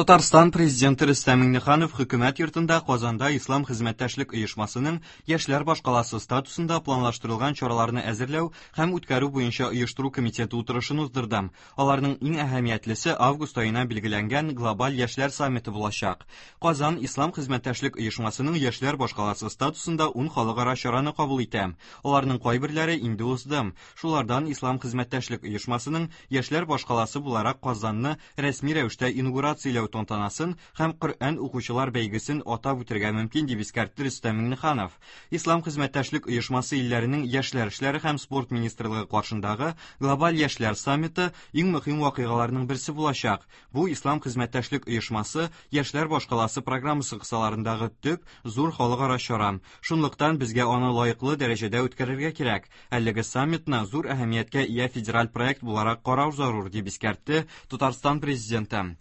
Татарстан Президенты Рөстәм Миңнеханов Хөкүмәт йортында Казанда Ислам хезмәттәшлек оешмасының яшьләр башкаласы статусында планлаштырылган чараларны әзерләү һәм үткәрү буенча оештыру комитеты утырышын уздырды. Аларның иң әһәмиятлесе август аена билгеләнгән глобаль яшьләр саммиты булачак. Казан Ислам хезмәттәшлек оешмасының яшьләр башкаласы статусында 10 халыкара чараны кабул итә. Аларның кайберләре инде узды. Шулардан Ислам хезмәттәшлек оешмасының яшьләр башкаласы буларак Казанны рәсми рәвештә инаугурацияләү тантанасын һәм Коръән укучылар бәйгесен атап үтергә мөмкин, дип искәртте Рөстәм Миңнеханов. Ислам хезмәттәшлек оешмасы илләренең яшьләр эшләре һәм спорт министрлыгы каршындагы глобаль яшьләр саммиты иң мөһим вакыйгаларның берсе булачак. Бу Ислам хезмәттәшлек оешмасы яшьләр башкаласы программасы кысаларындагы төп зур халыкара чара. Шунлыктан безгә аны лаеклы дәрәҗәдә үткәрергә кирәк. Әлеге саммитны зур әһәмияткә ия федераль проект буларак карау зарур, дип искәртте Татарстан Президенты.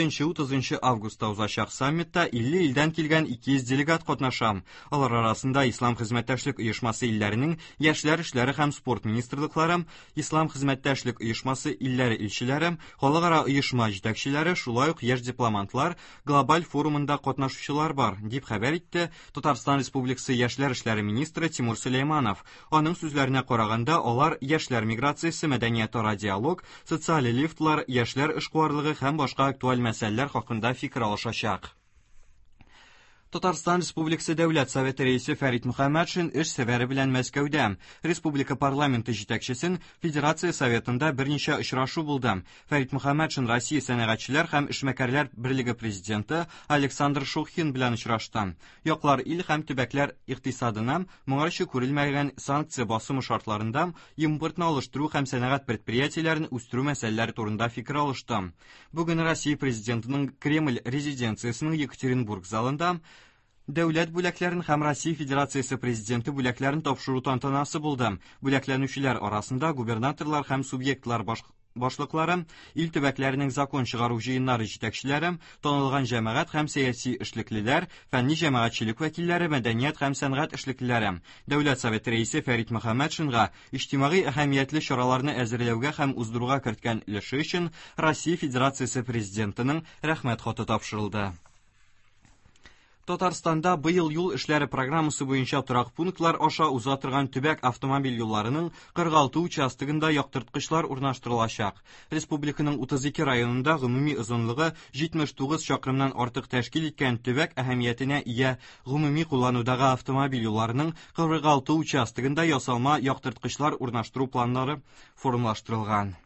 27-30 августта узачак саммитта 50 илдән килгән 200 делегат катнаша. Алар арасында Ислам хезмәттәшлек оешмасы илләренең яшьләр эшләре һәм спорт министрлыклары, Ислам хезмәттәшлек оешмасы илләре илчеләре, халыкара оешма җитәкчеләре, шулай ук яшь дипломантлар, глобаль форумында катнашучылар бар, дип хәбәр итте Татарстан Республикасы яшьләр эшләре министры Тимур Сөләйманов. Аның сүзләренә караганда, алар яшьләр миграциясе, мәдәниятара диалог, социаль лифтлар, яшьләр эшкуарлыгы һәм башка актуаль мәсьәләләр хакында фикер алышачак. Татарстан Республикасы Дәүләт Советы рәисе Фәрит Мөхәммәтшин эш сәфәре белән Мәскәүдә. Республика парламенты җитәкчесен Федерация Советында берничә очрашу булды. Фәрит Мөхәммәтшин Россия сәнәгатьчеләр һәм эшмәкәрләр берлеге президенты Александр Шухин белән очрашты. Яклар ил һәм төбәкләр икътисадына моңарчы күрелмәгән санкция басымы шартларында импортны алыштыру һәм сәнәгать предприятиеләрен үстерү мәсьәләләре турында фикер алышты. Бүген Россия Президентының Кремль резиденциясенең Екатеринбург залында Дәүләт бүләкләрен һәм Россия Федерациясе Президенты бүләкләрен тапшыру тантанасы булды. Бүләкләнүчеләр арасында губернаторлар һәм субъектлар башлыклары, ил төбәкләренең закон чыгару җыеннары җитәкчеләре, танылган җәмәгать һәм сәяси эшлеклеләр, фәнни җәмәгатьчелек вәкилләре, мәдәният һәм сәнгать эшлеклеләре. Дәүләт Советы рәисе Фәрит Мөхәммәтшинга иҗтимагый әһәмиятле чараларны әзерләүгә һәм уздыруга керткән өлеше өчен Россия Федерациясе Президентының Рәхмәт хаты тапшырылды. Татарстанда быел юл эшләре программасы буенча торак пунктлар аша уза торган төбәк автомобиль юлларының 46 участогында яктырткычлар урнаштырылачак. Республиканың 32 районында гомуми озынлыгы 79 чакрымнан артык тәшкил иткән төбәк әһәмиятенә ия гомуми кулланудагы автомобиль юлларының 46 участогында ясалма яктырткычлар урнаштыру планнары формалаштырылган.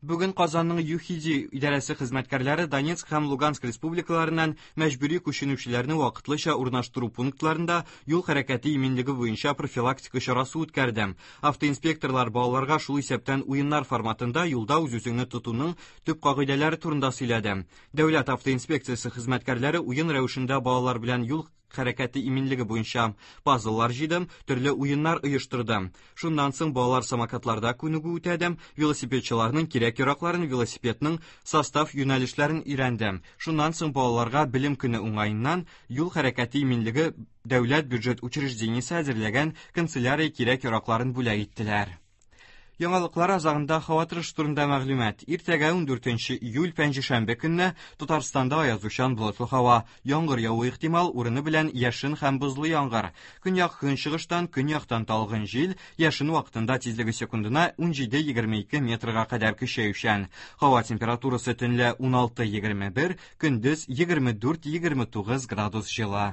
Бүген Казанның ЮХИДИ идарәсе хезмәткәрләре Донецк һәм Луганск республикаларыннан мәҗбүри күченүчеләрне вакытлыча урнаштыру пунктларында юл хәрәкәте иминлеге буенча профилактика чарасы үткәрде. Автоинспекторлар балаларга шул исәптән уеннар форматында юлда үз-үзеңне тотуның төп кагыйдәләре турында сөйләде. Дәүләт автоинспекциясе хезмәткәрләре уен рәвешендә балалар белән юл хәрәкәте иминлеге буенча пазллар җыйды, төрле уеннар оештырды. Шуннан соң балалар самокатларда күнегү үтәде, велосипедчыларның кирәк-яракларын, велосипедның состав юнәлешләрен өйрәнде. Шуннан соң балаларга белем көне уңаеннан юл хәрәкәте иминлеге дәүләт бюджет учреждениесе әзерләгән канцелярия кирәк-яракларын бүләк иттеләр. Яңалыклар азагында һава торышы турында мәгълүмат. Иртәгә 14 июль пәнҗешәмбе көнне Татарстанда аязучан болытлы һава, яңгыр явуы ихтимал, урыны белән яшен һәм бозлы яңгыр. Көньяк көнчыгыштан, көньяктан талгын җил, яшен вакытында тизлеге секундына 17-22 метрга кадәр көчәючән. Һава температурасы төнлә 16-21, көндез 24-29 градус җылы.